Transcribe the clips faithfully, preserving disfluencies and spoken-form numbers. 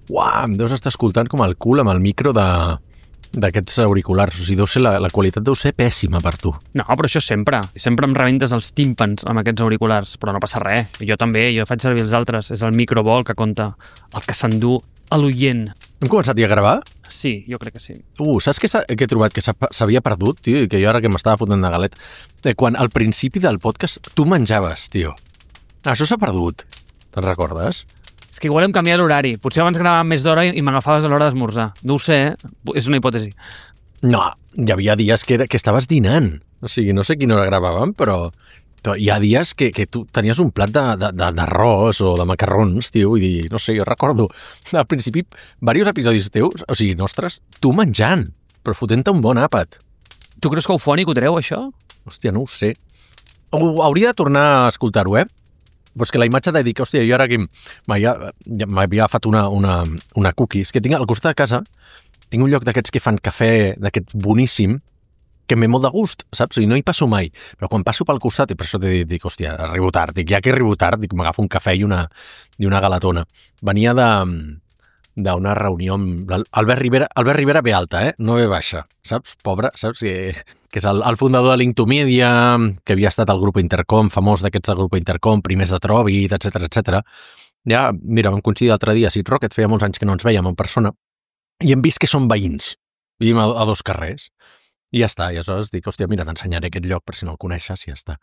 Uau, em deus estar escoltant com el cul amb el micro de d'aquests auriculars. O sigui, deu ser la, la qualitat deu ser pèssima per tu. No, però això sempre. Sempre em rebentes els tímpans amb aquests auriculars, però no passa res. Jo també, jo faig servir els altres. És el micro bo el que compta, el que s'endú a l'oient. Hem començat ja a gravar? Sí, jo crec que sí. Uh, saps què, què he trobat? Que s'havia perdut, tio, i que jo ara que m'estava fotent de galet. Eh, quan al principi del podcast tu menjaves, tio. Això s'ha perdut. Te'n recordes? És que igual hem canviat l'horari. Potser abans gravàvem més d'hora i m'agafaves a l'hora d'esmorzar. No ho sé, eh? És una hipòtesi. No, hi havia dies que, era, que estaves dinant. O sigui, no sé quina hora gravàvem, però, però hi ha dies que, que tu tenies un plat d'arròs o de macarrons, tio, i dir, no sé, jo recordo al principi diversos episodis teus, o sigui, nostres, tu menjant, però fotent-te un bon àpat. Tu creus que Eufònic ho treu, això? Hòstia, no ho sé. Hauria de tornar a escoltar-ho, eh? Però és que la imatge de dir que, hòstia, jo ara que m'havia agafat una, una, una cookie, és que tinc al costat de casa, tinc un lloc d'aquests que fan cafè, d'aquest boníssim, que m'he molt de gust, saps? I no hi passo mai. Però quan passo pel costat, i per això t'he dit, hòstia, arribo tard, dic, ja que arribo tard, dic, m'agafo un cafè i una, i una galatona. Venia de d'una reunió amb Albert Rivera, Albert Rivera ve alta, eh? No ve baixa, saps? Pobre, saps? Que, que és el, el fundador de Linktomedia, que havia estat al grup Intercom, famós d'aquests del grup Intercom, primers de Tròbit, etcètera, etcètera. Ja, mira, vam coincidir l'altre dia a Sit Rocket, feia molts anys que no ens veiem en persona, i hem vist que són veïns. Vivim a, a dos carrers. I ja està, i aleshores dic, hòstia, mira, t'ensenyaré aquest lloc per si no el coneixes, i ja està.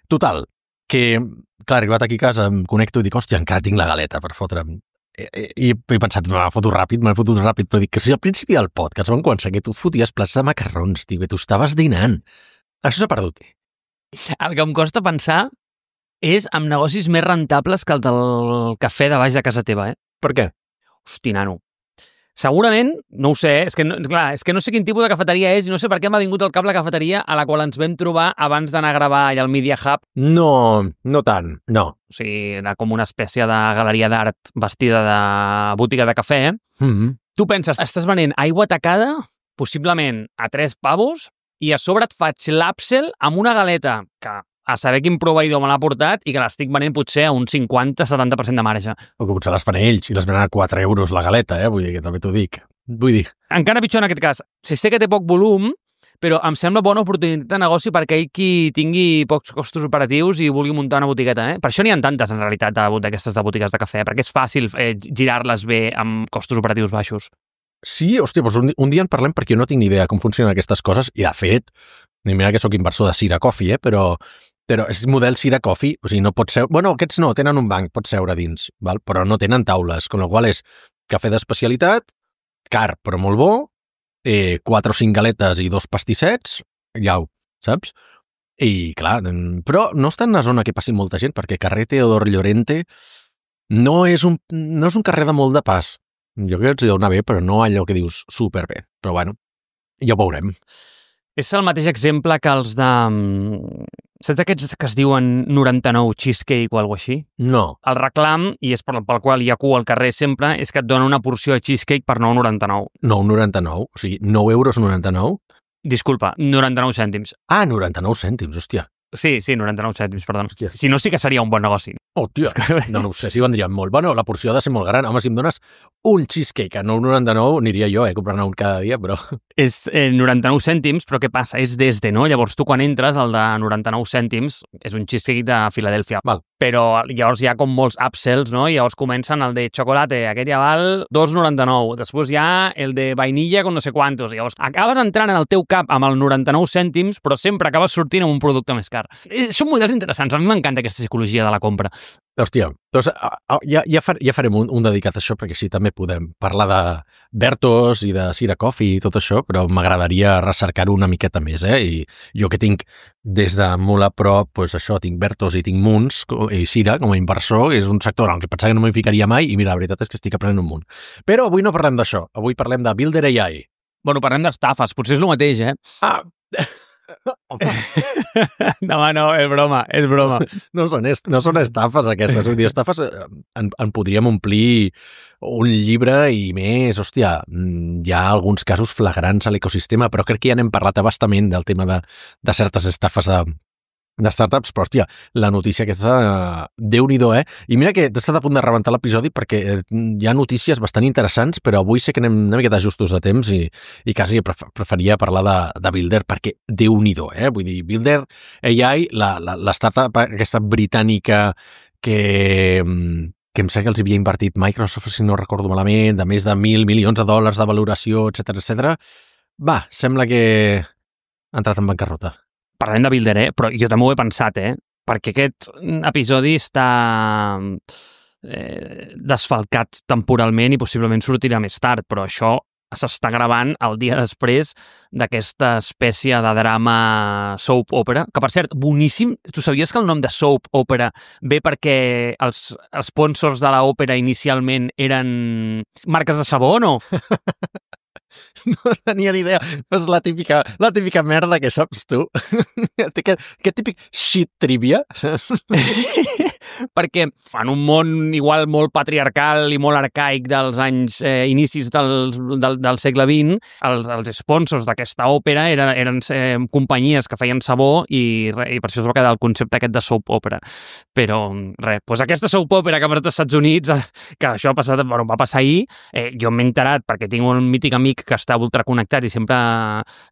Total, que, clar, arribat aquí a casa, em connecto i dic, hòstia, encara tinc la galeta per fotre'm. I, i he pensat, m'ha fotut ràpid, m'ha fotut ràpid, però dic que si al principi del podcast vam començar que tu et foties plats de macarrons, tio, que tu estaves dinant. Això s'ha perdut. El que em costa pensar és amb negocis més rentables que el del cafè de baix de casa teva, eh? Per què? Hosti, nano. Segurament, no ho sé, és que no, clar, és que no sé quin tipus de cafeteria és i no sé per què m'ha vingut al cap la cafeteria a la qual ens vam trobar abans d'anar a gravar allà al Media Hub. No, no tant, no. O sigui, era com una espècie de galeria d'art vestida de botiga de cafè. Mm-hmm. Tu penses, estàs venent aigua tacada, possiblement a tres pavos, i a sobre et faig l'upsell amb una galeta que a saber quin proveïdor me l'ha portat i que l'estic venent potser a un cinquanta setanta per cent de marge. O que potser les fan ells i les venen a quatre euros la galeta, eh? Vull dir, que també t'ho dic. Vull dir... Encara pitjor en aquest cas. Si sé que té poc volum, però em sembla bona oportunitat de negoci per aquell qui tingui pocs costos operatius i vulgui muntar una botigueta, eh? Per això n'hi ha tantes, en realitat, d'aquestes de botigues de cafè, perquè és fàcil eh, girar-les bé amb costos operatius baixos. Sí, hòstia, doncs un, un dia en parlem perquè jo no tinc ni idea com funcionen aquestes coses i, de fet, mira que sóc inversor de Sira Coffee, eh? però... Però és model Sira Coffee, o sigui, no pot seure... Bueno, aquests no, tenen un banc, pot seure dins, val? Però no tenen taules, amb la qual és cafè d'especialitat, car, però molt bo, eh, quatre o cinc galetes i dos pastissets, iau, saps? I, clar, però no està en una zona que passi molta gent, perquè carrer Teodor Llorente no és un, no és un carrer de molt de pas. Jo crec que els hi deu anar bé, però no allò que dius superbé. Però, bueno, ja ho veurem. És el mateix exemple que els de... Saps aquests que es diuen noranta-nou cheesecake o alguna així? No. El reclam, i és pel, pel qual hi ha cua al carrer sempre, és que et dona una porció de cheesecake per nou noranta-nou. nou noranta-nou? O sigui, nou euros noranta-nou? Disculpa, noranta-nou cèntims. Ah, noranta-nou cèntims, hòstia. Sí, sí, noranta-nou cèntims, perdó. Hòstia. Si no, sí que seria un bon negoci. Hòstia, no, no ho sé si vendrien molt. Bueno, la porció ha de ser molt gran. Home, si em dones un cheesecake a nou noranta-nou, aniria jo, eh, comprant un cada dia, però... És eh, noranta-nou cèntims, però què passa? És des de, no? Llavors tu quan entres, el de noranta-nou cèntims és un cheesecake de Filadèlfia. Val. Però llavors hi ha com molts upsells, no? I llavors comencen el de xocolate, aquest ja val dos noranta-nou. Després hi ha el de vainilla con no sé quantos. Llavors acabes entrant en el teu cap amb el noranta-nou cèntims, però sempre acabes sortint amb un producte més car. Són models interessants. A mi m'encanta aquesta psicologia de la compra. Hòstia, doncs ja, ja, far, ja farem un, un dedicat a això, perquè sí, també podem parlar de Bertos i de Sira Coffee i tot això, però m'agradaria recercar-ho una miqueta més, eh? I jo que tinc des de molt a prop, doncs això, tinc Bertos i tinc Munts i Sira com a inversor, és un sector en què pensava que no m'hi ficaria mai i mira, la veritat és que estic aprenent un munt. Però avui no parlem d'això, avui parlem de Builder A I. Bueno, parlem d'estafes, potser és el mateix, eh? Ah! No, no, és broma, és broma. No són, est no són estafes aquestes, vull dir, estafes en, en podríem omplir un llibre i més, hòstia, hi ha alguns casos flagrants a l'ecosistema, però crec que ja n'hem parlat abastament del tema de, de certes estafes de, de startups, però, hòstia, la notícia aquesta, uh, Déu-n'hi-do, eh? I mira que he estat a punt de rebentar l'episodi perquè hi ha notícies bastant interessants, però avui sé que anem una miqueta justos de temps i, i quasi pref preferia parlar de, de Builder perquè Déu-n'hi-do, eh? Vull dir, Builder A I, la, la, la startup aquesta britànica que, que em sembla que els havia invertit Microsoft, si no recordo malament, de més de mil milions de dòlars de valoració, etcètera, etcètera. Va, sembla que ha entrat en bancarrota. Parlem de Builder, eh? Però jo també ho he pensat, eh? Perquè aquest episodi està eh, desfalcat temporalment i possiblement sortirà més tard, però això s'està gravant el dia després d'aquesta espècie de drama soap opera, que per cert, boníssim. Tu sabies que el nom de soap opera ve perquè els sponsors de l'òpera inicialment eren marques de sabó, no? No tenia ni idea. És la típica, la típica merda que saps tu. Aquest, aquest típic shit trivia. Perquè en un món igual molt patriarcal i molt arcaic dels anys eh, inicis del, del, del segle vint, els, els sponsors d'aquesta òpera eren, eren eh, companyies que feien sabó i, re, i per això es va quedar el concepte aquest de soap opera. Però res, doncs aquesta soap opera que ha passat als Estats Units, que això ha passat, bueno, va passar ahir, eh, jo m'he enterat perquè tinc un mític amic que està ultraconnectat i sempre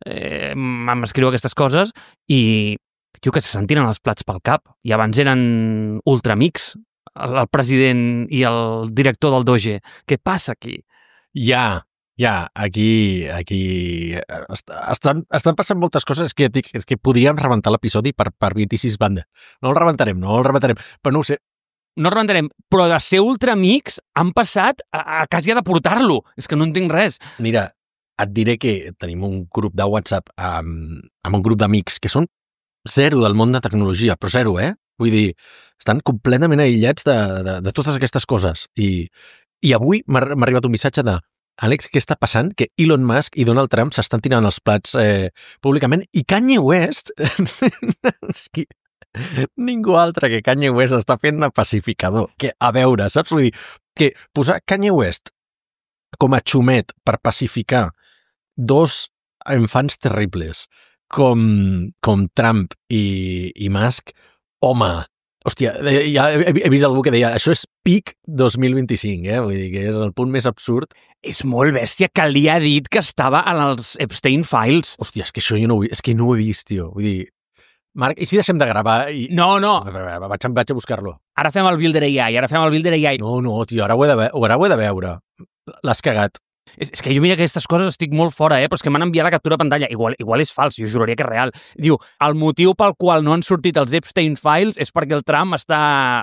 eh, m'escriu aquestes coses i tio, que se sentien els plats pel cap. I abans eren ultramics, el, el president i el director del Doge. Què passa aquí? Ja, ja, aquí, aquí estan, estan passant moltes coses que, és que podríem rebentar l'episodi per, per vint-i-sis bandes. No el rebentarem, no el rebentarem, però no ho sé. No el rebentarem, però de ser ultramics han passat a, a quasi a deportar-lo. És que no entenc res. Mira, et diré que tenim un grup de WhatsApp amb, amb un grup d'amics que són zero del món de tecnologia, però zero, eh? Vull dir, estan completament aïllats de, de, de totes aquestes coses. I, i avui m'ha arribat un missatge de Àlex, què està passant? Que Elon Musk i Donald Trump s'estan tirant els plats eh, públicament i Kanye West ningú altre que Kanye West està fent de pacificador. Que, a veure, saps? Vull dir, que posar Kanye West com a xumet per pacificar dos infants terribles com, com Trump i, i Musk, home, hòstia, ja he, he vist algú que deia això és pic dos mil vint-i-cinc, eh? Vull dir que és el punt més absurd. És molt bèstia que li ha dit que estava en els Epstein Files. Hòstia, és que això jo no ho, és que no ho he vist, tio. Vull dir, Marc, i si deixem de gravar? I... No, no. Vaig, vaig a buscar-lo. Ara fem el Builder A I, ara fem el Builder A I. No, no, tio, ara ho he de, ve ara ho he de veure. L'has cagat. És, és que jo mira aquestes coses estic molt fora, eh? Però és que m'han enviat la captura de pantalla. Igual, igual és fals, jo juraria que és real. Diu, el motiu pel qual no han sortit els Epstein Files és perquè el Trump està,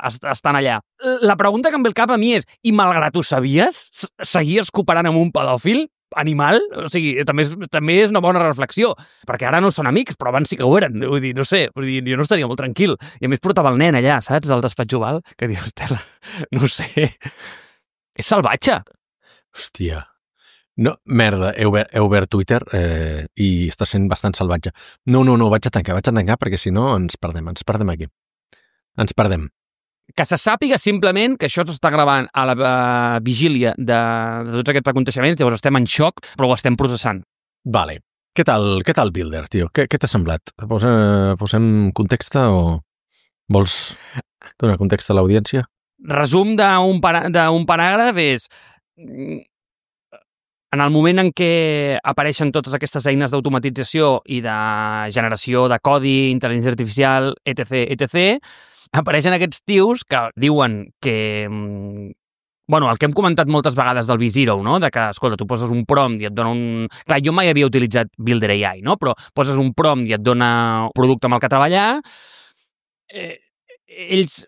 està, estan allà. La pregunta que em ve al cap a mi és, i malgrat ho sabies, seguies cooperant amb un pedòfil? Animal? O sigui, també és, també és una bona reflexió, perquè ara no són amics, però abans sí que ho eren. Vull dir, no sé, vull dir, jo no estaria molt tranquil. I a més portava el nen allà, saps? Al despatx oval, que dius, Estela, no ho sé. És salvatge. Hòstia. No, merda, he obert, he obert Twitter eh, i està sent bastant salvatge. No, no, no, vaig a tancar, vaig a tancar perquè si no ens perdem, ens perdem aquí. Ens perdem. Que se sàpiga simplement que això s'està gravant a la uh, vigília de, de tots aquests aconteixements, llavors estem en xoc, però ho estem processant. Vale. Què tal, què tal Builder, tio? Què, què t'ha semblat? Posa, posem context o vols donar context a l'audiència? Resum d'un para, paràgraf és... En el moment en què apareixen totes aquestes eines d'automatització i de generació de codi, intel·ligència artificial, etc, etcètera, apareixen aquests tios que diuen que... Bueno, el que hem comentat moltes vegades del V-Zero, no? De que, escolta, tu poses un prompt i et dona un... Clar, jo mai havia utilitzat Builder A I, no? Però poses un prompt i et dona un producte amb el que treballar. Eh, ells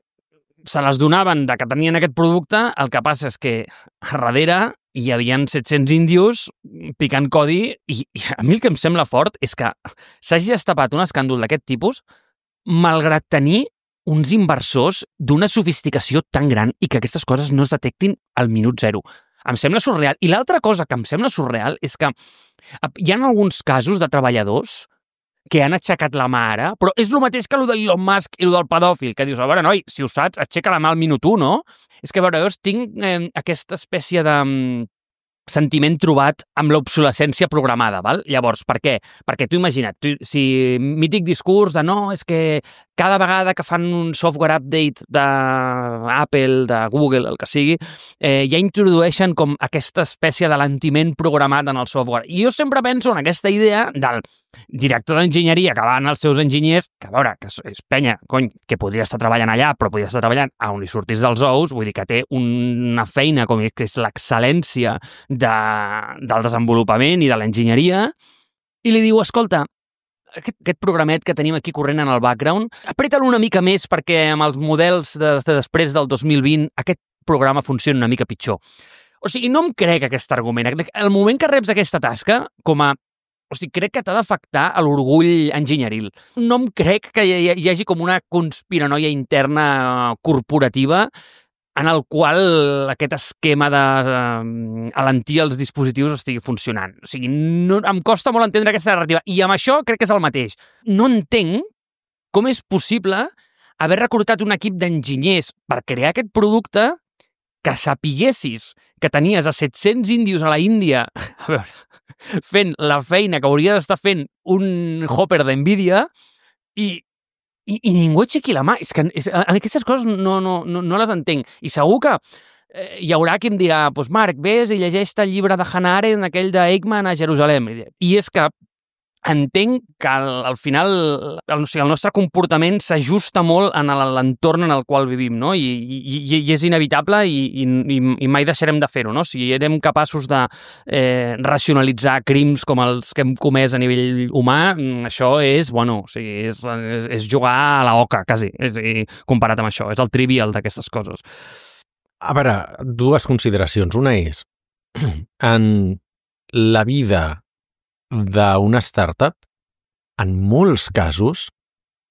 se les donaven de que tenien aquest producte, el que passa és que a darrere hi havia set-cents índios picant codi i, i a mi el que em sembla fort és que s'hagi destapat un escàndol d'aquest tipus malgrat tenir uns inversors d'una sofisticació tan gran i que aquestes coses no es detectin al minut zero. Em sembla surreal. I l'altra cosa que em sembla surreal és que hi ha alguns casos de treballadors que han aixecat la mà ara, però és el mateix que el d'Elon Musk i el del pedòfil, que dius, a veure, noi, si ho saps, aixeca la mà al minut un, no? És que, a veure, jo tinc eh, aquesta espècie de um, sentiment trobat amb l'obsolescència programada, val? Llavors, per què? Perquè tu imagina't, tu, si mític discurs de no, és que cada vegada que fan un software update d'Apple, de Google, el que sigui, eh, ja introdueixen com aquesta espècie de l'antiment programat en el software. I jo sempre penso en aquesta idea del director d'enginyeria que van els seus enginyers, que a veure, que és penya, cony, que podria estar treballant allà, però podria estar treballant a on li sortís dels ous, vull dir que té una feina com que és l'excel·lència de, del desenvolupament i de l'enginyeria, i li diu, escolta, aquest, aquest programet que tenim aquí corrent en el background, apreta-lo una mica més perquè amb els models de, de després del dos mil vint aquest programa funciona una mica pitjor. O sigui, no em crec aquest argument. El moment que reps aquesta tasca, com a O sigui, crec que t'ha d'afectar a l'orgull enginyeril. No em crec que hi, hi hagi com una conspiranoia interna corporativa en el qual aquest esquema d'alentir els dispositius estigui funcionant. O sigui, no, em costa molt entendre aquesta narrativa. I amb això crec que és el mateix. No entenc com és possible haver reclutat un equip d'enginyers per crear aquest producte que sapiguessis que tenies a set-cents índios a la Índia, a veure, fent la feina que hauria d'estar fent un hopper d'NVIDIA i, i, i ningú aixequi la mà. És que és, aquestes coses no, no, no, no les entenc. I segur que eh, hi haurà qui em dirà, doncs Marc, vés i llegeix el llibre de Hannah Arendt, aquell d'Eichmann a Jerusalem. I és que entenc que al, al final el, o sigui, el nostre comportament s'ajusta molt en l'entorn en el qual vivim, no? I, i, i és inevitable i, i, i mai deixarem de fer-ho, no? Si érem capaços de eh, racionalitzar crims com els que hem comès a nivell humà, això és, bueno, o sigui, és, és, és jugar a la oca, quasi, és, i comparat amb això. És el trivial d'aquestes coses. A veure, dues consideracions. Una és, en la vida d'una startup, en molts casos,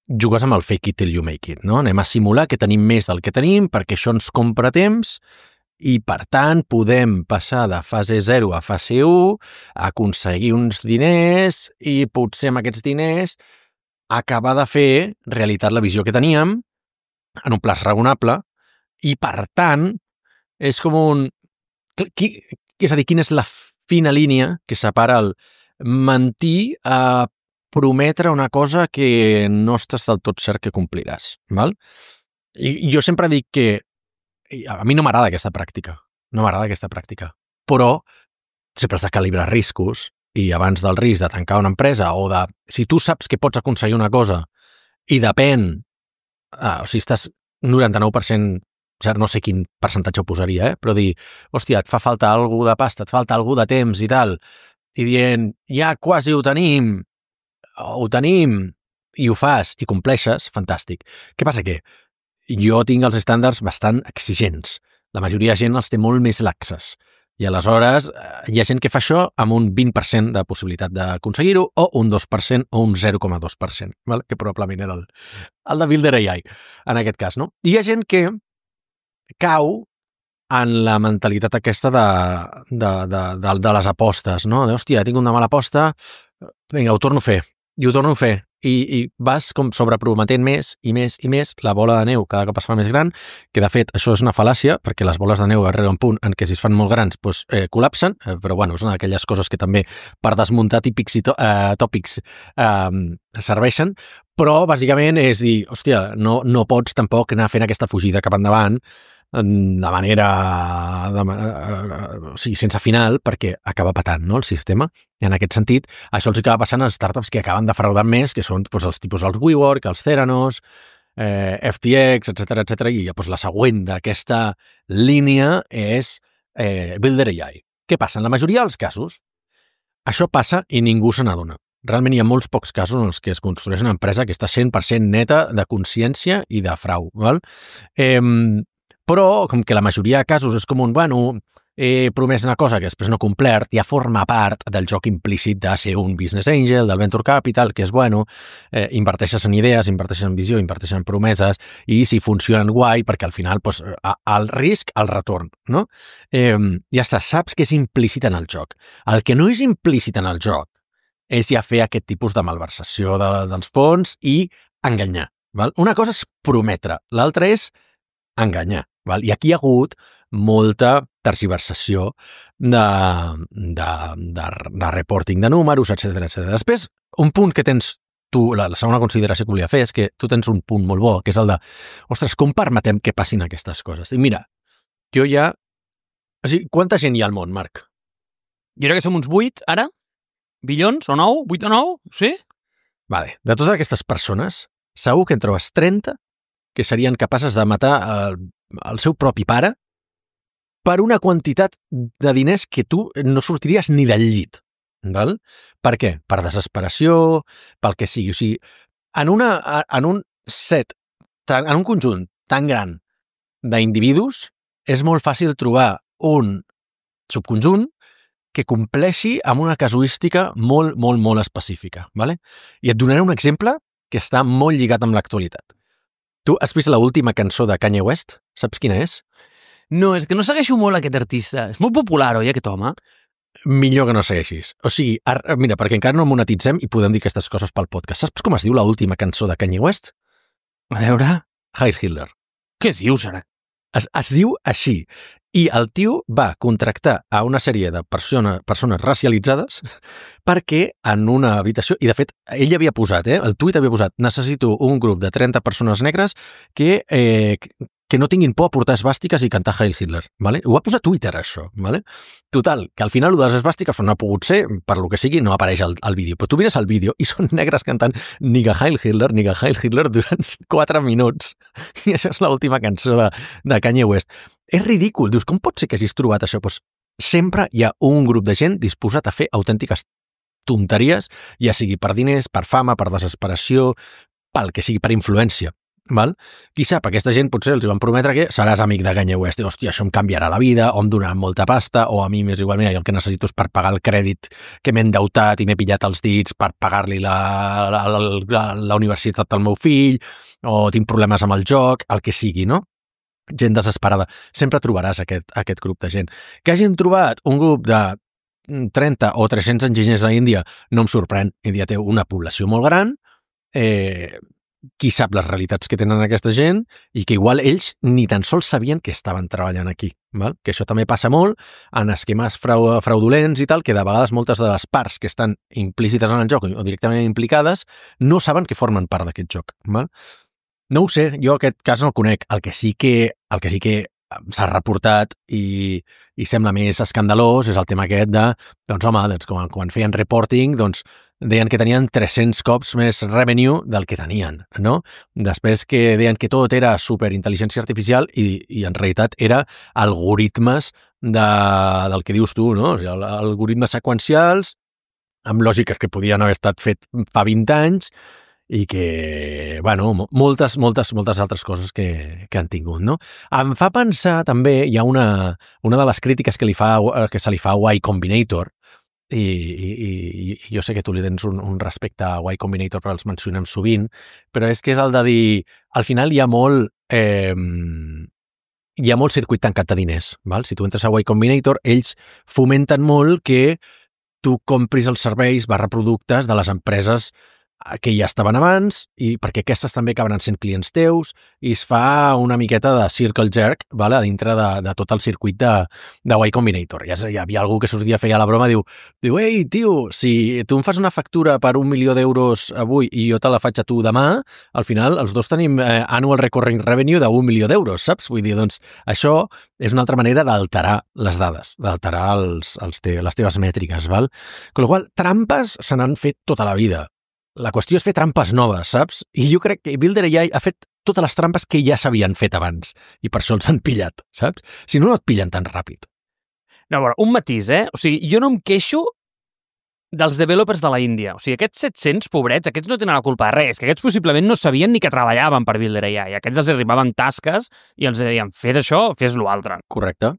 jugues amb el fake it till you make it, no? Anem a simular que tenim més del que tenim perquè això ens compra temps i, per tant, podem passar de fase zero a fase u, aconseguir uns diners i potser amb aquests diners acabar de fer realitat la visió que teníem en un plaç raonable i, per tant, és com un... És a dir, quina és la fina línia que separa el mentir a prometre una cosa que no estàs del tot cert que compliràs, val? I jo sempre dic que a mi no m'agrada aquesta pràctica, no m'agrada aquesta pràctica, però sempre has de calibrar riscos i abans del risc de tancar una empresa o de... Si tu saps que pots aconseguir una cosa i depèn, ah, o sigui, estàs noranta-nou per cent, no sé quin percentatge ho posaria, eh? Però dir, hòstia, et fa falta algú de pasta, et falta algú de temps i tal, i dient, ja quasi ho tenim, ho tenim, i ho fas, i compleixes, fantàstic. Què passa? Que jo tinc els estàndards bastant exigents. La majoria de gent els té molt més laxes. I aleshores hi ha gent que fa això amb un vint per cent de possibilitat d'aconseguir-ho, o un dos per cent, o un zero coma dos per cent, val? Que probablement era el, el de Builder A I, en aquest cas, no? I hi ha gent que cau en la mentalitat aquesta de, de, de, de, de les apostes, no? De, hòstia, tinc una mala aposta, vinga, ho torno a fer, i ho torno a fer, i, i vas com sobreprometent més i més i més, la bola de neu cada cop es fa més gran, que de fet això és una fal·làcia, perquè les boles de neu arriben a un punt en què si es fan molt grans doncs, eh, col·lapsen, eh, però bueno, és una d'aquelles coses que també per desmuntar típics i to eh, tòpics eh, serveixen, però bàsicament és dir, hòstia, no, no pots tampoc anar fent aquesta fugida cap endavant de manera, de, o sigui, sense final, perquè acaba patant, no, el sistema. I en aquest sentit, això els acaba passant a les startups que acaben defraudant més, que són doncs, els tipus els WeWork, els Theranos, eh, F T X, etcètera, etcètera, i doncs, la següent d'aquesta línia és eh, Builder A I. Què passa? En la majoria dels casos, això passa i ningú se n'adona. Realment hi ha molts pocs casos en els que es construeix una empresa que està cent per cent neta de consciència i de frau, val? Eh, Però, com que la majoria de casos és com un, bueno, he promès una cosa que després no he complert, ja forma part del joc implícit de ser un business angel, del venture capital, que és, bueno, eh, inverteixes en idees, inverteixes en visió, inverteixes en promeses, i si funcionen guai, perquè al final, pues, el risc, el retorn, no? Eh, ja està, saps que és implícit en el joc. El que no és implícit en el joc és ja fer aquest tipus de malversació de, dels fons i enganyar, val? Una cosa és prometre, l'altra és enganyar. Val? I aquí hi ha hagut molta tergiversació de, de, de, de reporting de números, etcètera, etcètera. Després, un punt que tens tu, la, la segona consideració que volia fer és que tu tens un punt molt bo, que és el de, ostres, com permetem que passin aquestes coses? I mira, jo ja... O sigui, quanta gent hi ha al món, Marc? Jo crec que som uns vuit, ara? Bilions o nou? vuit o nou? Sí? Vale. De totes aquestes persones, segur que en trobes trenta que serien capaces de matar el, el seu propi pare per una quantitat de diners que tu no sortiries ni del llit. Val? Per què? Per desesperació, pel que sigui. O sigui, en, una, en un set, en un conjunt tan gran d'individus, és molt fàcil trobar un subconjunt que compleixi amb una casuística molt, molt, molt específica. Vale? I et donaré un exemple que està molt lligat amb l'actualitat. Tu has vist l'última cançó de Kanye West? Saps quina és? No, és que no segueixo molt aquest artista. És molt popular, oi, aquest home? Millor que no segueixis. O sigui, ara, mira, perquè encara no monetitzem i podem dir aquestes coses pel podcast. Saps com es diu l'última cançó de Kanye West? A veure... Heil Hitler. Què dius, ara? Es, es diu així. I el tio va contractar a una sèrie de persona, persones racialitzades perquè en una habitació, i de fet ell havia posat, eh, el tuit havia posat, necessito un grup de trenta persones negres que, eh, que no tinguin por a portar esbàstiques i cantar Heil Hitler. Vale? Ho va posar a Twitter, això. Vale? Total, que al final de les esbàstiques no ha pogut ser, per lo que sigui, no apareix al, al vídeo. Però tu mires el vídeo i són negres cantant Niga Heil Hitler, Niga Heil Hitler durant quatre minuts. I això és l'última cançó de, de Kanye West. És ridícul. Dius, com pot ser que hagis trobat això? Pues sempre hi ha un grup de gent disposat a fer autèntiques tonteries, ja sigui per diners, per fama, per desesperació, pel que sigui, per influència. Val? Qui sap, aquesta gent potser els van prometre que seràs amic de Kanye West i, hòstia, això em canviarà la vida, o em donaran molta pasta, o a mi m'és igual, mira, el que necessito és per pagar el crèdit que m'he endeutat i m'he pillat els dits per pagar-li la, la, la, la, la universitat al meu fill, o tinc problemes amb el joc, el que sigui, no? Gent desesperada. Sempre trobaràs aquest, aquest grup de gent. Que hagin trobat un grup de trenta o tres-cents enginyers a Índia no em sorprèn. Índia té una població molt gran, eh, qui sap les realitats que tenen aquesta gent i que igual ells ni tan sols sabien que estaven treballant aquí. Val? Que això també passa molt en esquemes frau, fraudulents i tal, que de vegades moltes de les parts que estan implícites en el joc o directament implicades no saben que formen part d'aquest joc. Val? No ho sé, jo aquest cas no el conec. El que sí que, el que sí que s'ha reportat i, i sembla més escandalós és el tema aquest de, doncs home, doncs, quan, quan feien reporting, doncs deien que tenien tres-cents cops més revenue del que tenien, no? Després que deien que tot era superintel·ligència artificial i, i en realitat era algoritmes de, del que dius tu, no? O sigui, algoritmes seqüencials amb lògiques que podien haver estat fet fa vint anys i que, bueno, moltes, moltes, moltes altres coses que, que han tingut, no? Em fa pensar també, hi ha una, una de les crítiques que, li fa, que se li fa a Y Combinator, i, i, i jo sé que tu li tens un, un respecte a Y Combinator, però els mencionem sovint, però és que és el de dir, al final hi ha molt... Eh, hi ha molt circuit tancat de diners, val? Si tu entres a Y Combinator, ells fomenten molt que tu compris els serveis barra productes de les empreses que ja estaven abans, i perquè aquestes també acabaran sent clients teus, i es fa una miqueta de circle jerk, vale? A dintre de, de tot el circuit de, de Y Combinator. Ja hi havia algú que sortia, feia la broma, diu, diu, ei, tio, si tu em fas una factura per un milió d'euros avui i jo te la faig a tu demà, al final els dos tenim eh, annual recurring revenue d'un milió d'euros, saps? Vull dir, doncs, això és una altra manera d'alterar les dades, d'alterar els, els te, les teves mètriques, val? Con la qual, trampes se n'han fet tota la vida. La qüestió és fer trampes noves, saps? I jo crec que Builder A I ha fet totes les trampes que ja s'havien fet abans i per això els han pillat, saps? Si no, no et pillen tan ràpid. No, bueno, un matís, eh? O sigui, jo no em queixo dels developers de la Índia. O sigui, aquests set-cents pobrets, aquests no tenen la culpa de res, que aquests possiblement no sabien ni que treballaven per Builder A I. Aquests els arribaven tasques i els deien, fes això, fes l'altre. Correcte.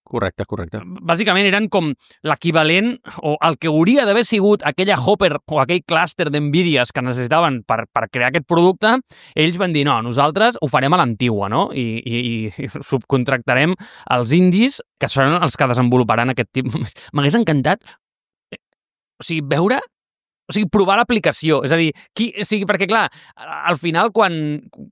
Correcte, correcte. Bàsicament eren com l'equivalent o el que hauria d'haver sigut aquella Hopper o aquell clúster d'Nvidias que necessitaven per, per crear aquest producte, ells van dir, no, nosaltres ho farem a l'antigua, no? I, i, i subcontractarem els indis, que seran els que desenvoluparan aquest tipus. M'hagués encantat, o sigui, veure o sigui, provar l'aplicació. És a dir, qui, o sigui, perquè, clar, al final, quan,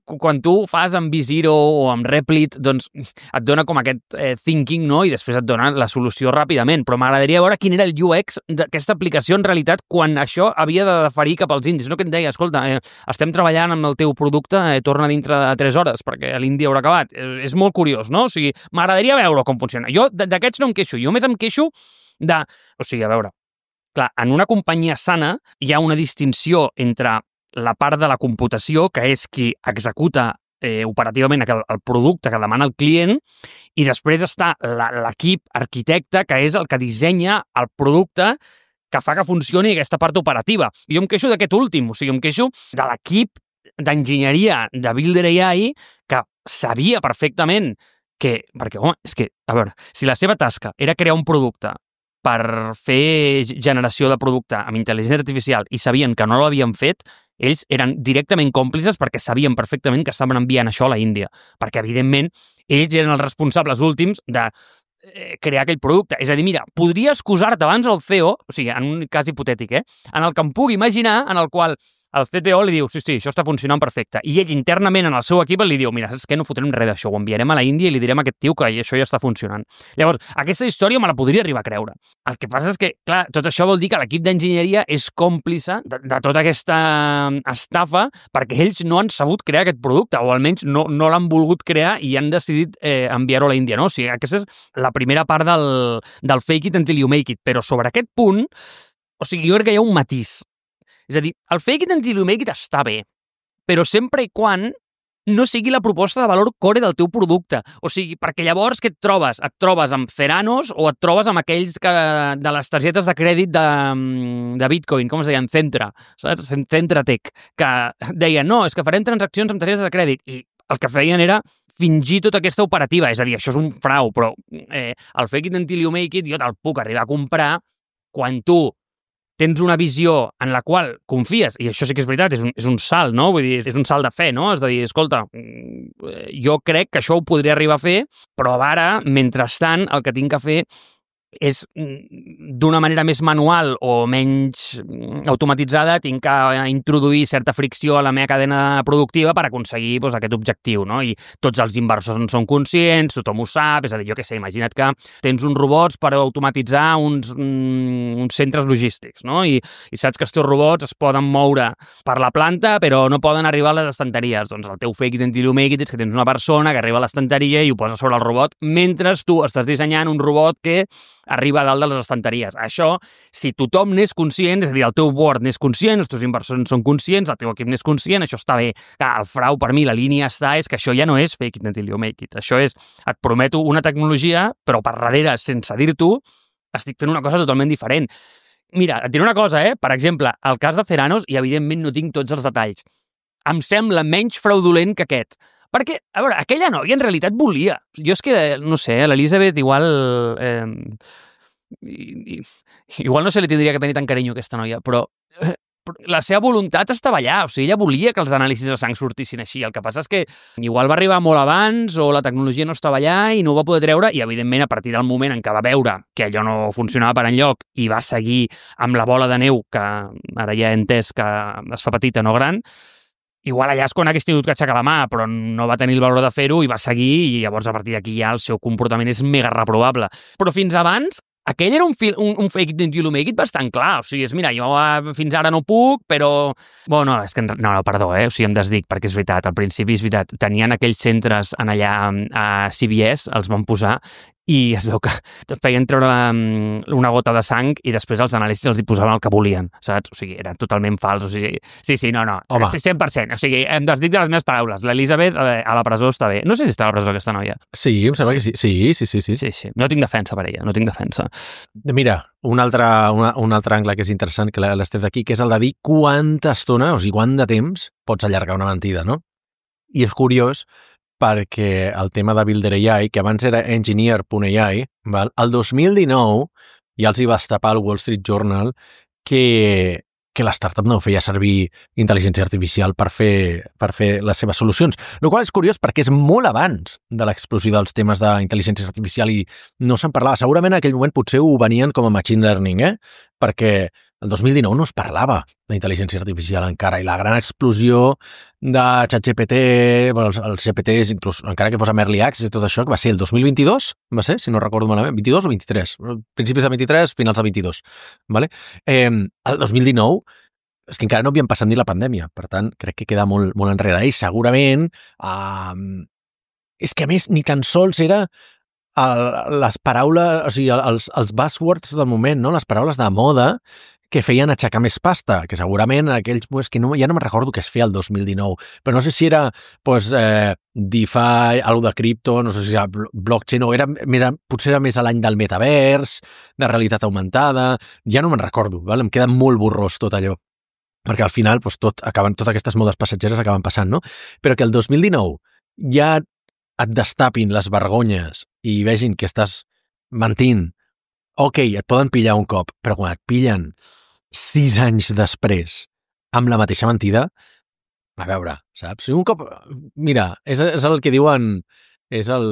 quan tu fas amb Visiro o amb Replit, doncs et dona com aquest eh, thinking, no? I després et dona la solució ràpidament. Però m'agradaria veure quin era el U X d'aquesta aplicació en realitat quan això havia de deferir cap als indis. No que em deia, escolta, eh, estem treballant amb el teu producte, eh, torna dintre de tres hores perquè l'indi haurà acabat. Eh, és molt curiós, no? O sigui, m'agradaria veure com funciona. Jo d'aquests no em queixo. Jo més em queixo de... O sigui, a veure, clar, en una companyia sana hi ha una distinció entre la part de la computació, que és qui executa eh, operativament el, el producte que demana el client, i després està l'equip arquitecte, que és el que dissenya el producte que fa que funcioni aquesta part operativa. Jo em queixo d'aquest últim, o sigui, em queixo de l'equip d'enginyeria de Builder A I que sabia perfectament que... Perquè, home, és que, a veure, si la seva tasca era crear un producte per fer generació de producte amb intel·ligència artificial i sabien que no l'havien fet, ells eren directament còmplices perquè sabien perfectament que estaven enviant això a la Índia. Perquè, evidentment, ells eren els responsables últims de crear aquell producte. És a dir, mira, podria excusar-te abans el C E O, o sigui, en un cas hipotètic, eh, en el que em pugui imaginar, en el qual el C T O li diu, sí, sí, això està funcionant perfecte. I ell internament en el seu equip li diu, mira, és que no fotrem res d'això, ho enviarem a la Índia i li direm a aquest tio que això ja està funcionant. Llavors, aquesta història me la podria arribar a creure. El que passa és que, clar, tot això vol dir que l'equip d'enginyeria és còmplice de, de tota aquesta estafa perquè ells no han sabut crear aquest producte, o almenys no, no l'han volgut crear i han decidit eh, enviar-ho a la Índia, no? O sigui, aquesta és la primera part del, del fake it until you make it. Però sobre aquest punt, o sigui, jo crec que hi ha un matís. És a dir, el fake it until you make it està bé, però sempre i quan no sigui la proposta de valor core del teu producte. O sigui, perquè llavors què et trobes? Et trobes amb Ceranos o et trobes amb aquells que, de les targetes de crèdit de, de Bitcoin, com es deien? Centra, saps? Centra Tech, que deien, no, és que farem transaccions amb targetes de crèdit. I el que feien era fingir tota aquesta operativa. És a dir, això és un frau, però eh, el fake it until you make it jo te'l puc arribar a comprar quan tu tens una visió en la qual confies, i això sí que és veritat, és un, és un salt, no? Vull dir, és un salt de fe, no? És a dir, escolta, jo crec que això ho podria arribar a fer, però ara, mentrestant, el que tinc que fer és d'una manera més manual o menys automatitzada, tinc que introduir certa fricció a la meva cadena productiva per aconseguir doncs, aquest objectiu, no? I tots els inversors en són conscients, tothom ho sap, és a dir, jo què sé, imagina't que tens uns robots per automatitzar uns, uns centres logístics, no? I, i saps que els teus robots es poden moure per la planta però no poden arribar a les estanteries. Doncs el teu fake it until you make it és que tens una persona que arriba a l'estanteria i ho posa sobre el robot mentre tu estàs dissenyant un robot que arriba a dalt de les estanteries. Això, si tothom n'és conscient, és a dir, el teu board n'és conscient, els teus inversors en són conscients, el teu equip n'és conscient, això està bé. Clar, el frau, per mi, la línia està, és que això ja no és fake it until you make it. Això és, et prometo una tecnologia, però per darrere, sense dir-t'ho, estic fent una cosa totalment diferent. Mira, et diré una cosa, eh? Per exemple, el cas de Ceranos, i evidentment no tinc tots els detalls, em sembla menys fraudulent que aquest. Perquè, a veure, aquella noia en realitat volia. Jo és que, no sé, l'Elisabet igual... Eh, i, i, igual no se li tindria que tenir tant carinyo a aquesta noia, però eh, la seva voluntat estava allà. O sigui, ella volia que els anàlisis de sang sortissin així. El que passa és que igual va arribar molt abans o la tecnologia no estava allà i no ho va poder treure i, evidentment, a partir del moment en què va veure que allò no funcionava per enlloc i va seguir amb la bola de neu, que ara ja he entès que es fa petita, no gran, igual allà és quan hagués tingut que aixecar la mà, però no va tenir el valor de fer-ho i va seguir, i llavors a partir d'aquí ja el seu comportament és mega reprovable. Però fins abans, aquell era un, fil, un, un fake it until you make it bastant clar. O sigui, és, mira, jo fins ara no puc, però... Bueno, és que... No, no, perdó, eh? O sigui, em desdic, perquè és veritat, al principi és veritat, tenien aquells centres en allà a C B S, els van posar, i es veu que feien treure una gota de sang i després els anàlisis els hi posaven el que volien, saps? O sigui, era totalment fals. O sigui, sí, sí, no, no, home, cent per cent. O sigui, em desdic de les meves paraules. L'Elisabet a la presó està bé. No sé si està a la presó aquesta noia. Sí, em sembla que sí. Sí, sí, sí. Sí, sí, sí. No tinc defensa per ella, no tinc defensa. Mira, un altre, una, un altre angle que és interessant, que l'estès d'aquí, que és el de dir quanta estona, o sigui, quant de temps pots allargar una mentida, no? I és curiós perquè el tema de Builder A I, que abans era engineer punt A I, val? El dos mil dinou ja els hi va estapar el Wall Street Journal que, que l'startup no feia servir intel·ligència artificial per fer, per fer les seves solucions. El qual és curiós perquè és molt abans de l'explosió dels temes d'intel·ligència artificial i no se'n parlava. Segurament en aquell moment potser ho venien com a machine learning, eh? Perquè el dos mil dinou no es parlava d'intel·ligència artificial encara, i la gran explosió de ChatGPT, bueno, els, els G P Ts, inclús, encara que fos amb Early Access i tot això, que va ser el dos mil vint-i-dos, va ser, si no recordo malament, vint-i-dos o vint-i-tres? Principis de vint-i-tres, finals de vint-i-dos. Vale? Eh, el dos mil dinou és que encara no havíem passat ni la pandèmia, per tant, crec que queda molt, molt enrere. I segurament, eh, és que a més ni tan sols era el, les paraules, o sigui, els, els buzzwords del moment, no? Les paraules de moda que feien aixecar més pasta, que segurament en aquells, pues, que no, ja no me'n recordo què es feia el dos mil dinou, però no sé si era pues, eh, DeFi, algo de cripto, no sé si era blockchain, o era més, potser era més a l'any del metavers, de realitat augmentada, ja no me'n recordo, val? Em queda molt borrós tot allò, perquè al final pues, tot acaben, totes aquestes modes passatgeres acaben passant, no? Però que el dos mil dinou ja et destapin les vergonyes i vegin que estàs mentint, ok, et poden pillar un cop, però quan et pillen sis anys després amb la mateixa mentida, a veure, saps? Un cop, mira, és, és el que diuen, és el,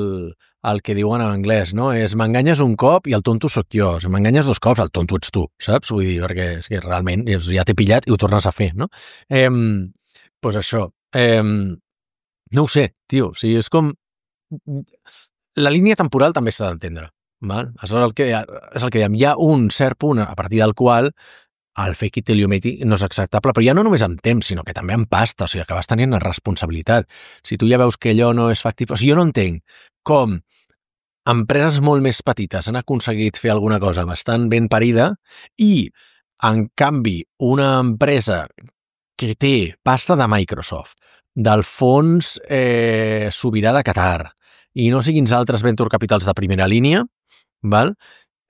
el que diuen en anglès, no? És m'enganyes un cop i el tonto sóc jo. Si m'enganyes dos cops, el tonto ets tu, saps? Vull dir, perquè és que realment ja t'he pillat i ho tornes a fer, no? Eh, pues això. Eh, no ho sé, tio. O sigui, és com... La línia temporal també s'ha d'entendre. Val? Això és el, que, és el que diem. Hi ha un cert punt a partir del qual el fake it till you make it no és acceptable, però ja no només en temps, sinó que també en pasta, o sigui, acabes tenint una responsabilitat. Si tu ja veus que allò no és factible... O sigui, jo no entenc com empreses molt més petites han aconseguit fer alguna cosa bastant ben parida i, en canvi, una empresa que té pasta de Microsoft, del fons eh, sobirà de Qatar, i no sé quins altres venture capitals de primera línia, val?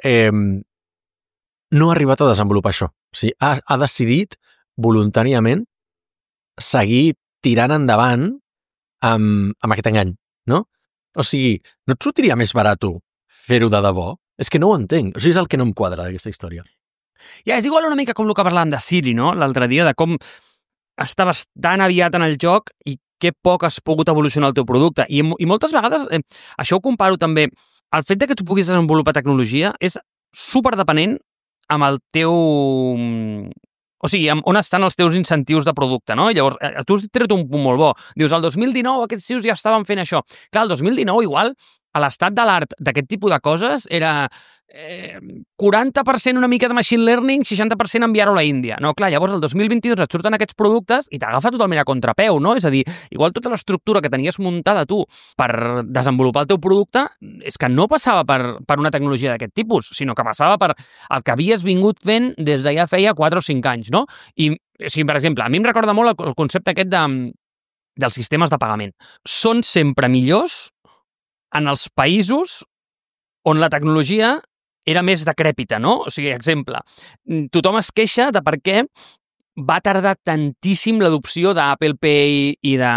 Eh, no ha arribat a desenvolupar això. O sigui, ha, ha decidit voluntàriament seguir tirant endavant amb, amb aquest engany, no? O sigui, no et sortiria més barat fer-ho de debò? És que no ho entenc. O sigui, és el que no em quadra d'aquesta història. Ja, és igual una mica com el que parlàvem de Siri, no? L'altre dia, de com estaves tan aviat en el joc i que poc has pogut evolucionar el teu producte. I, i moltes vegades, eh, això ho comparo també, el fet de que tu puguis desenvolupar tecnologia és superdepenent amb el teu... O sigui, on estan els teus incentius de producte, no? I llavors, tu has tret un punt molt bo. Dius, el dos mil dinou aquests tios ja estaven fent això. Clar, el dos mil dinou igual, a l'estat de l'art d'aquest tipus de coses era eh, quaranta per cent una mica de machine learning, seixanta per cent enviar-ho a la Índia. No, clar, llavors el dos mil vint-i-dos et surten aquests productes i t'agafa totalment a contrapeu, no? És a dir, igual tota l'estructura que tenies muntada tu per desenvolupar el teu producte és que no passava per, per una tecnologia d'aquest tipus, sinó que passava per el que havies vingut fent des de ja feia quatre o cinc anys, no? I, o sigui, per exemple, a mi em recorda molt el, el concepte aquest de, dels sistemes de pagament. Són sempre millors en els països on la tecnologia era més decrèpita, no? O sigui, exemple, tothom es queixa de per què va tardar tantíssim l'adopció d'Apple Pay i de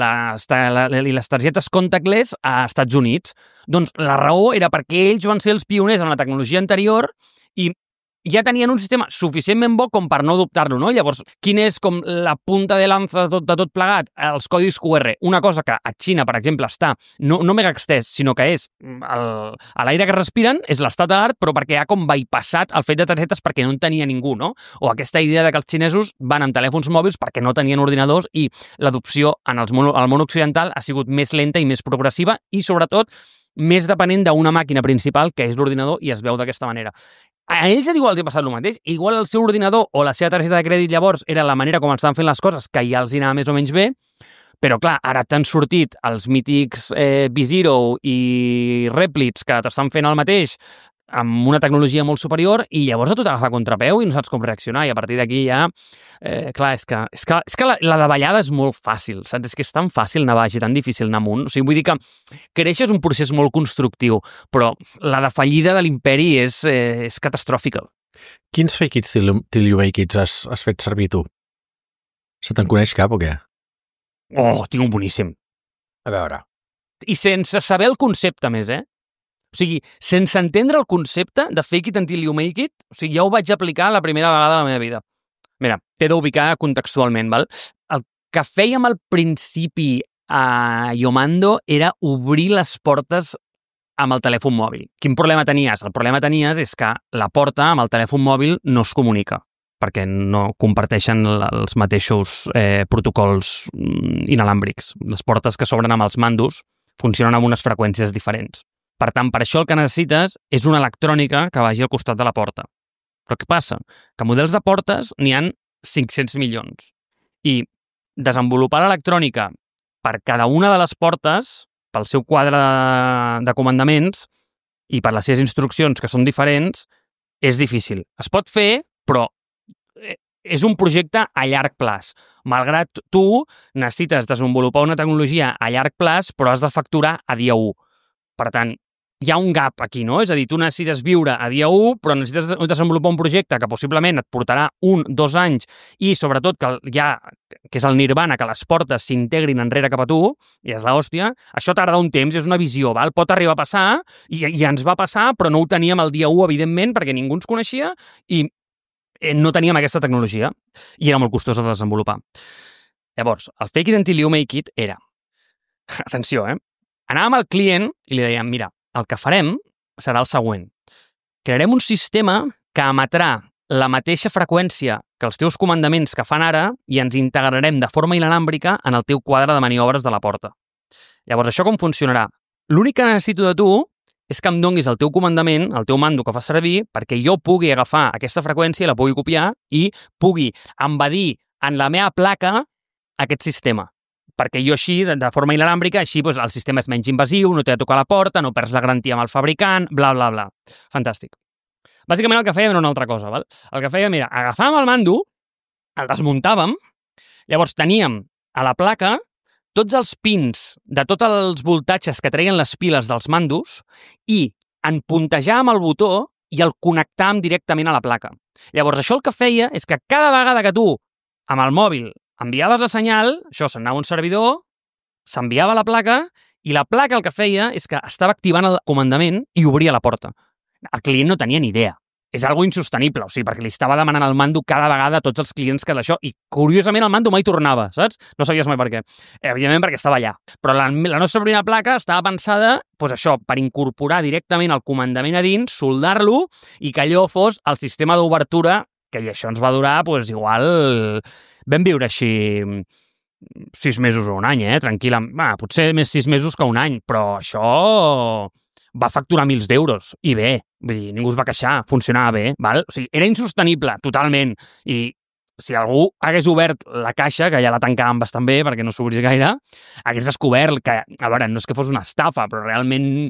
les, i les targetes contactless a Estats Units. Doncs la raó era perquè ells van ser els pioners en la tecnologia anterior i ja tenien un sistema suficientment bo com per no adoptar-lo, no? Llavors, quin és com la punta de lanza de tot, de tot plegat? Els codis Q R. Una cosa que a Xina, per exemple, està no, no mega extès, sinó que és el, a l'aire que respiren, és l'estat de l'art, però perquè ha com bypassat el fet de targetes perquè no en tenia ningú, no? O aquesta idea de que els xinesos van amb telèfons mòbils perquè no tenien ordinadors i l'adopció en els món, el món occidental ha sigut més lenta i més progressiva i, sobretot, més depenent d'una màquina principal, que és l'ordinador, i es veu d'aquesta manera. A ells igual els ha passat el mateix. Igual el seu ordinador o la seva targeta de crèdit llavors era la manera com estan fent les coses, que ja els hi anava més o menys bé, però clar, ara t'han sortit els mítics eh, B-Zero i Replits que t'estan fent el mateix amb una tecnologia molt superior i llavors a tu t'agafa contrapeu i no saps com reaccionar i a partir d'aquí ja, eh, clar, és que, és que, és que la, la davallada és molt fàcil, saps? És que és tan fàcil anar baix i tan difícil anar amunt. O sigui, vull dir que créixer és un procés molt constructiu, però la defallida de l'imperi és, eh, és catastròfica. Quins fake it till, till you make it has, has fet servir tu? Se te'n coneix cap o què? Oh, tinc un boníssim. A veure. I sense saber el concepte més, eh? O sigui, sense entendre el concepte de fake it until you make it, o sigui, ja ho vaig aplicar la primera vegada de la meva vida. Mira, t'he d'ubicar contextualment, val? El que fèiem al principi a Yomando era obrir les portes amb el telèfon mòbil. Quin problema tenies? El problema tenies és que la porta amb el telèfon mòbil no es comunica. perquè no comparteixen els mateixos eh, protocols inalàmbrics. Les portes que s'obren amb els mandos funcionen amb unes freqüències diferents. Per tant, per això el que necessites és una electrònica que vagi al costat de la porta. Però què passa? Que models de portes n'hi han cinc-cents milions. I desenvolupar l'electrònica per cada una de les portes, pel seu quadre de, de comandaments i per les seves instruccions, que són diferents, és difícil. Es pot fer, però és un projecte a llarg plaç. Malgrat tu necessites desenvolupar una tecnologia a llarg plaç, però has de facturar a dia u. Per tant, hi ha un gap aquí, no? És a dir, tu necessites viure a dia u, però necessites desenvolupar un projecte que possiblement et portarà un, dos anys i, sobretot, que ja, que és el nirvana, que les portes s'integrin enrere cap a tu, i és l'hòstia, això tarda un temps, és una visió, val? Pot arribar a passar, i, i ens va passar, però no ho teníem el dia u, evidentment, perquè ningú ens coneixia, i no teníem aquesta tecnologia, i era molt costosa de desenvolupar. Llavors, el fake it until you make it era, atenció, eh? Anàvem al client i li dèiem, mira, el que farem serà el següent. Crearem un sistema que emetrà la mateixa freqüència que els teus comandaments que fan ara i ens integrarem de forma inalàmbrica en el teu quadre de maniobres de la porta. Llavors, això com funcionarà? L'únic que necessito de tu és que em donguis el teu comandament, el teu mando que fa servir, perquè jo pugui agafar aquesta freqüència i la pugui copiar i pugui embedir en la meva placa aquest sistema. Perquè jo així, de forma inalàmbrica, així doncs, el sistema és menys invasiu, no t'ha de tocar la porta, no perds la garantia amb el fabricant, bla, bla, bla. Fantàstic. Bàsicament el que fèiem era una altra cosa, val? El que fèiem era, agafàvem el mando, el desmuntàvem, llavors teníem a la placa tots els pins de tots els voltatges que treien les piles dels mandos i en puntejàvem el botó i el connectàvem directament a la placa. Llavors, això el que feia és que cada vegada que tu, amb el mòbil, enviaves la senyal, això s'anava a un servidor, s'enviava a la placa, i la placa el que feia és que estava activant el comandament i obria la porta. El client no tenia ni idea. És algo insostenible, o sigui, perquè li estava demanant el mando cada vegada a tots els clients que d'això, i curiosament el mando mai tornava, saps? No sabies mai per què. Evidentment perquè estava allà. Però la, la nostra primera placa estava pensada, doncs això, per incorporar directament el comandament a dins, soldar-lo, i que allò fos el sistema d'obertura, que això ens va durar, doncs igual... Vam viure així sis mesos o un any, eh? Tranquil·la. Va, potser més sis mesos que un any, però això va facturar mils d'euros. I bé, vull dir, ningú es va queixar, funcionava bé, val? O sigui, era insostenible, totalment. I si algú hagués obert la caixa, que ja la tancàvem bastant bé perquè no s'obrís gaire, hagués descobert que, a veure, no és que fos una estafa, però realment,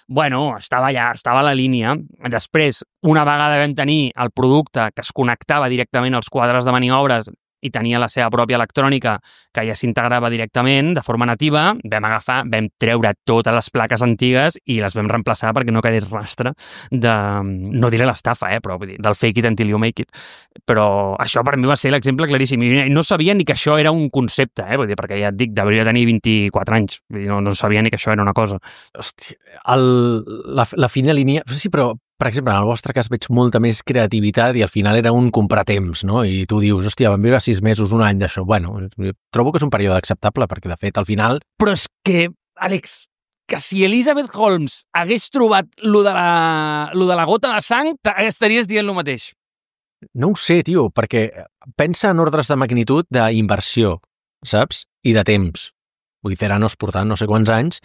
bueno, estava allà, estava a la línia. Després, una vegada vam tenir el producte que es connectava directament als quadres de maniobres i tenia la seva pròpia electrònica que ja s'integrava directament de forma nativa, vam agafar, vam treure totes les plaques antigues i les vam reemplaçar perquè no quedés rastre de, no diré l'estafa, eh, però vull dir, del fake it until you make it. Però això per mi va ser l'exemple claríssim. I no sabia ni que això era un concepte, eh, vull dir, perquè ja et dic, devia tenir vint-i-quatre anys. Vull dir, no, no sabia ni que això era una cosa. Hòstia, el, la, la fina línia... Sí, però... Per exemple, en el vostre cas veig molta més creativitat i al final era un comprar temps, no? I tu dius, hòstia, vam viure sis mesos, un any d'això. Bueno, trobo que és un període acceptable perquè, de fet, al final... Però és que, Àlex, que si Elizabeth Holmes hagués trobat lo de la, lo de la gota de sang, estaries dient el mateix. No ho sé, tio, perquè pensa en ordres de magnitud d'inversió, saps? I de temps. Vull dir, Theranos portant no sé quants anys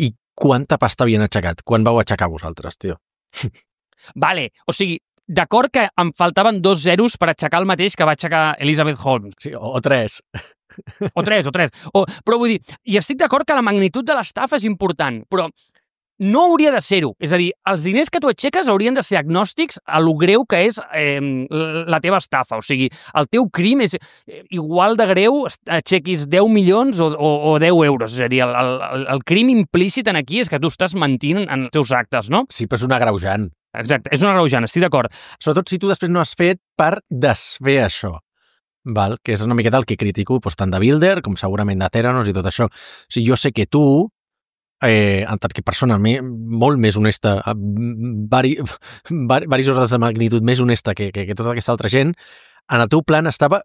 i quanta pasta havien aixecat? Quan vau aixecar vosaltres, tio? Vale, o sigui, d'acord que em faltaven dos zeros per aixecar el mateix que va aixecar Elizabeth Holmes. Sí, o, o tres. O tres, o tres. O, però vull dir, i estic d'acord que la magnitud de l'estafa és important, però no hauria de ser-ho. És a dir, els diners que tu aixeques haurien de ser agnòstics a lo greu que és eh, la teva estafa. O sigui, el teu crim és igual de greu, aixequis deu milions o, o, o deu euros. És a dir, el, el, el crim implícit en aquí és que tu estàs mentint en els teus actes, no? Sí, però és un agreujant. Exacte, és un agreujant, estic d'acord. Sobretot si tu després no has fet per desfer això, val? Que és una miqueta el que critico, doncs, tant de Builder com segurament de Theranos i tot això. O sigui, jo sé que tu, eh, en tant que persona me, molt més honesta, vari, vari, varis ordres de magnitud més honesta que, que, que tota aquesta altra gent, en el teu plan estava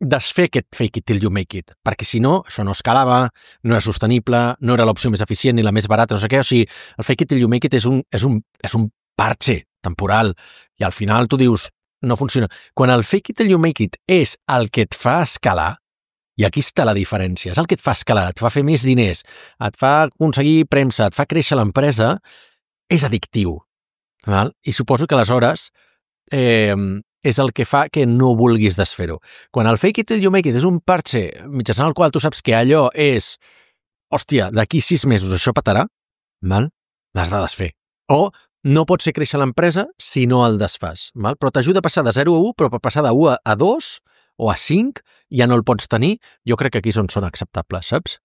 desfer aquest fake it till you make it, perquè si no, això no escalava, no era sostenible, no era l'opció més eficient ni la més barata, no sé què, o sigui, el fake it till you make it és un, és un, és un parche temporal, i al final tu dius, no funciona. Quan el fake it till you make it és el que et fa escalar, i aquí està la diferència, és el que et fa escalar, et fa fer més diners, et fa aconseguir premsa, et fa créixer l'empresa, és addictiu. Val? I suposo que aleshores eh, és el que fa que no vulguis desfer-ho. Quan el fake it till you make it és un parche mitjançant el qual tu saps que allò és hòstia, d'aquí sis mesos això petarà, val? L'has de desfer. O no pots fer créixer l'empresa si no el desfàs. Val? Però t'ajuda a passar de zero a u, però per passar de u a dos o a cinc ja no el pots tenir. Jo crec que aquí és on són acceptables, saps?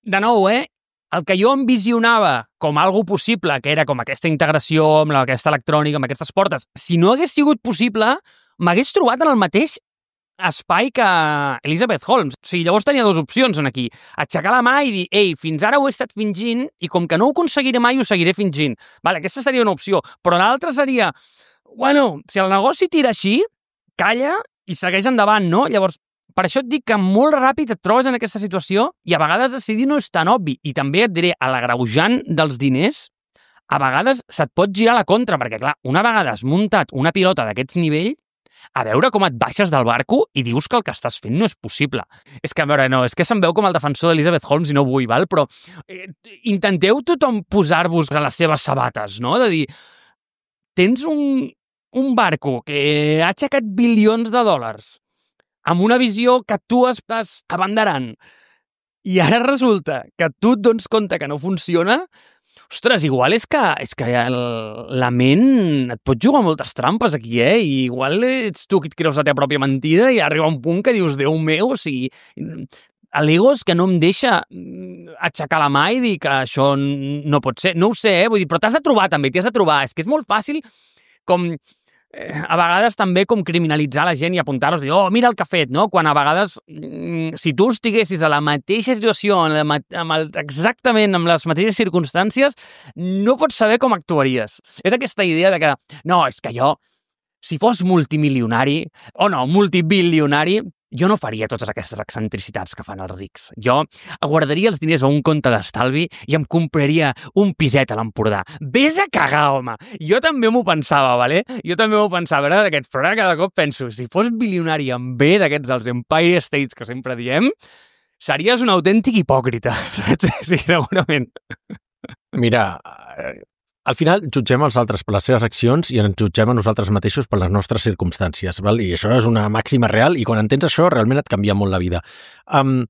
De nou, eh? El que jo envisionava com algo possible, que era com aquesta integració amb aquesta electrònica, amb aquestes portes, si no hagués sigut possible, m'hagués trobat en el mateix espai que Elizabeth Holmes. O sigui, llavors tenia dues opcions en aquí. Aixecar la mà i dir, ei, fins ara ho he estat fingint i com que no ho aconseguiré mai, ho seguiré fingint. Vale, aquesta seria una opció. Però l'altra seria, bueno, si el negoci tira així, calla i segueix endavant, no? Llavors, per això et dic que molt ràpid et trobes en aquesta situació i a vegades decidir no és tan obvi. I també et diré, a l'agreujant dels diners, a vegades se't pot girar la contra, perquè clar, una vegada has muntat una pilota d'aquest nivell, a veure com et baixes del barco i dius que el que estàs fent no és possible. És que, a veure, no, és que se'm veu com el defensor d'Elizabeth Holmes i no vull, val? Però eh, intenteu tothom posar-vos a les seves sabates, no? De dir, tens un, un barco que ha aixecat bilions de dòlars amb una visió que tu estàs abanderant i ara resulta que tu et dones compte que no funciona. Ostres, igual és que, és que el, la ment et pot jugar moltes trampes aquí, eh? I igual ets tu qui et creus la teva pròpia mentida i arriba un punt que dius, Déu meu, o sigui, l'ego és que no em deixa aixecar la mà i dir que això no pot ser. No ho sé, eh? Vull dir, però t'has de trobar també, t'hi has de trobar. És que és molt fàcil com... a vegades també com criminalitzar la gent i apuntar-los, dir, oh, mira el que ha fet, no? Quan a vegades, si tu estiguessis a la mateixa situació, amb el, exactament amb les mateixes circumstàncies, no pots saber com actuaries. És aquesta idea de que, no, és que jo, si fos multimilionari, o no, multibilionari, jo no faria totes aquestes excentricitats que fan els rics. Jo guardaria els diners a un compte d'estalvi i em compraria un piset a l'Empordà. Ves a cagar, home! Jo també m'ho pensava, vale? Jo també m'ho pensava, era d'aquests, però ara cada cop penso, si fos bilionari en B d'aquests dels Empire States que sempre diem, series un autèntic hipòcrita, saps? Sí, segurament. Mira, al final jutgem els altres per les seves accions i ens jutgem a nosaltres mateixos per les nostres circumstàncies, val? I això és una màxima real i quan entens això realment et canvia molt la vida. Um,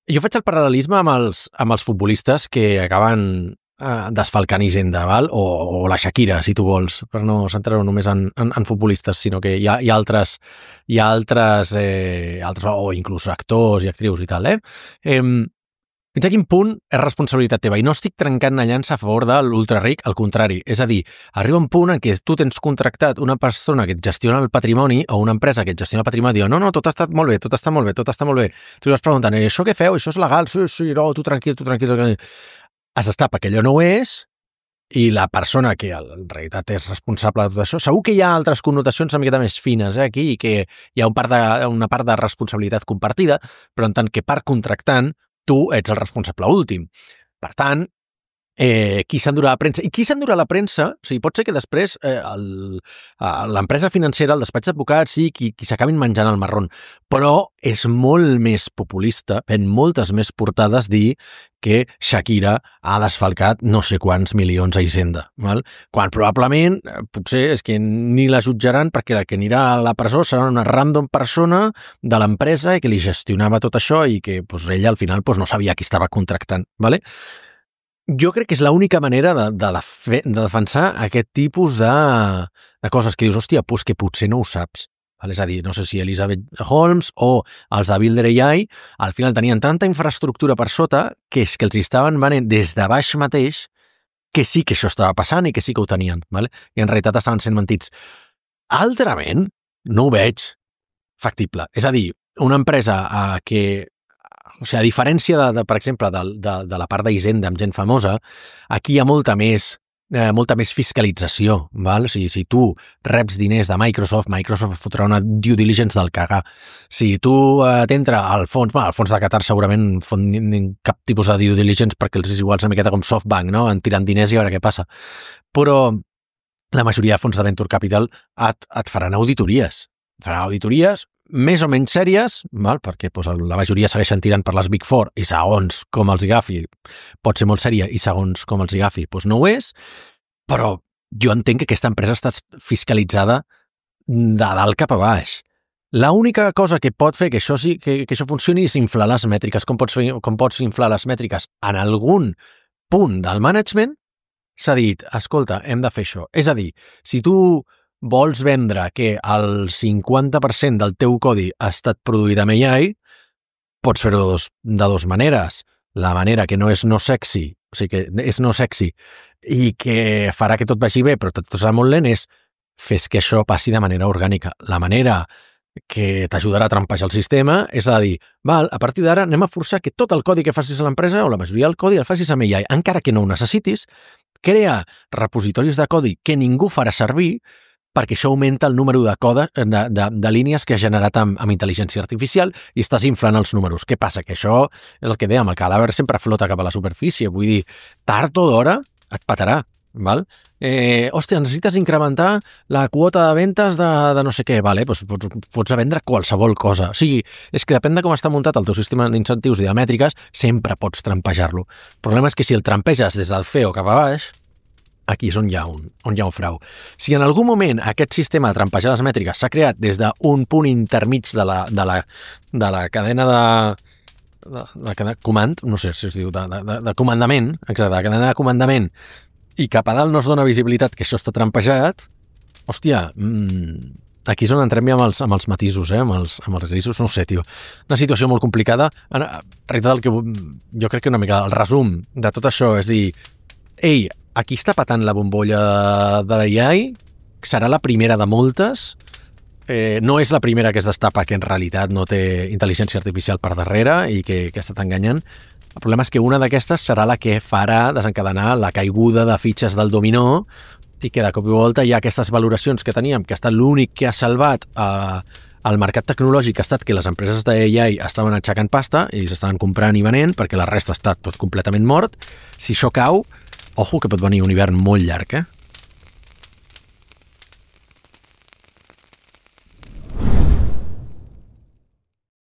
jo faig el paral·lelisme amb els, amb els futbolistes que acaben uh, desfalcant Hisenda, val? O, o la Shakira, si tu vols, per no centrar-ho només en, en, en futbolistes, sinó que hi ha, hi ha altres, hi ha altres, eh, altres, o inclús actors i actrius i tal, eh? eh Fins a quin punt és responsabilitat teva? I no estic trencant una llança a favor de l'ultraric, al contrari. És a dir, arriba un punt en què tu tens contractat una persona que et gestiona el patrimoni o una empresa que et gestiona el patrimoni i diu, no, no, tot ha estat molt bé, tot està molt bé, tot està molt bé. Tu li vas preguntant, i això què feu? Això és legal? Sí, sí, no, tu tranquil, tu tranquil. tranquil. Es destapa que allò no ho és i la persona que en realitat és responsable de tot això, segur que hi ha altres connotacions una miqueta més fines eh, aquí i que hi ha un part de, una part de responsabilitat compartida, però en tant que part contractant tu ets el responsable últim. Per tant, eh, qui s'endurà la premsa? I qui s'endurà la premsa? O sigui, pot ser que després eh, l'empresa financera, el despatx d'advocats, sí, qui, qui s'acabin menjant el marrón. Però és molt més populista, en moltes més portades, dir que Shakira ha desfalcat no sé quants milions a Hisenda. Val? Quan probablement, potser és que ni la jutjaran perquè la que anirà a la presó serà una random persona de l'empresa i que li gestionava tot això i que pues, ella al final pues, no sabia qui estava contractant. Vale? Jo crec que és l'única manera de, de, de, de defensar aquest tipus de, de coses que dius, hòstia, pues que potser no ho saps. Val? És a dir, no sé si Elizabeth Holmes o els de Builder A I al final tenien tanta infraestructura per sota que és que els estaven venent des de baix mateix que sí que això estava passant i que sí que ho tenien. Vale? I en realitat estaven sent mentits. Altrament, no ho veig factible. És a dir, una empresa eh, que o sigui, a diferència, de, de, per exemple, de, de, de la part d'Hisenda amb gent famosa, aquí hi ha molta més, eh, molta més fiscalització. Val? O sigui, si tu reps diners de Microsoft, Microsoft fotrà una due diligence del cagar. Si tu eh, t'entra al fons, bueno, al fons de Qatar segurament fon cap tipus de due diligence perquè els és igual una miqueta com SoftBank, no? En tirant diners i a veure què passa. Però la majoria de fons de venture capital et, et faran auditories. Et faran auditories més o menys sèries, val? Perquè doncs, la majoria segueixen tirant per les Big Four i segons com els agafi pot ser molt sèria i segons com els agafi doncs no ho és, però jo entenc que aquesta empresa està fiscalitzada de dalt cap a baix. L'única cosa que pot fer que això, sí, que, que això funcioni és inflar les mètriques. Com pots, fer, com pots inflar les mètriques? En algun punt del management s'ha dit, escolta, hem de fer això. És a dir, si tu vols vendre que el cinquanta per cent del teu codi ha estat produït amb A I, pots fer-ho de, dos, de dos maneres. La manera que no és no sexy, o sigui que és no sexy i que farà que tot vagi bé, però tot serà molt lent, és fes que això passi de manera orgànica. La manera que t'ajudarà a trampejar el sistema és a dir, val, a partir d'ara anem a forçar que tot el codi que facis a l'empresa o la majoria del codi el facis amb A I. Encara que no ho necessitis, crea repositoris de codi que ningú farà servir perquè això augmenta el número de, code, de, de, de línies que ha generat amb, amb intel·ligència artificial i estàs inflant els números. Què passa? Que això és el que dèiem, el cadàver sempre flota cap a la superfície. Vull dir, tard o d'hora et patarà. Val? Eh, hòstia, necessites incrementar la quota de ventes de, de no sé què, vale? Pues pots, pots vendre qualsevol cosa. O sigui, és que depèn de com està muntat el teu sistema d'incentius i de mètriques, sempre pots trampejar-lo. El problema és que si el trampeges des del C E O cap a baix, aquí és on hi ha un, on hi ha un frau. Si en algun moment aquest sistema de trampejar les mètriques s'ha creat des d'un punt intermig de la, de la, de la cadena de, de, de, de comand, no sé si es diu, de, de, de comandament, exacte, de cadena de comandament, i cap a dalt no es dona visibilitat que això està trampejat, hòstia, mmm, aquí és on entrem ja amb els, amb els matisos, eh? amb, els, amb els grisos, no sé, tio. Una situació molt complicada. En realitat, el que, jo crec que una mica el resum de tot això és dir, ei, aquí està patant la bombolla de l'A I, serà la primera de moltes, eh, no és la primera que es destapa que en realitat no té intel·ligència artificial per darrere i que, que ha estat enganyant. El problema és que una d'aquestes serà la que farà desencadenar la caiguda de fitxes del dominó i que de cop i volta hi ha aquestes valoracions que teníem, que ha estat l'únic que ha salvat eh, el mercat tecnològic, ha estat que les empreses d'A I estaven aixecant pasta i s'estaven comprant i venent perquè la resta ha estat tot completament mort. Si això cau, ojo que pot venir un hivern molt llarg, eh?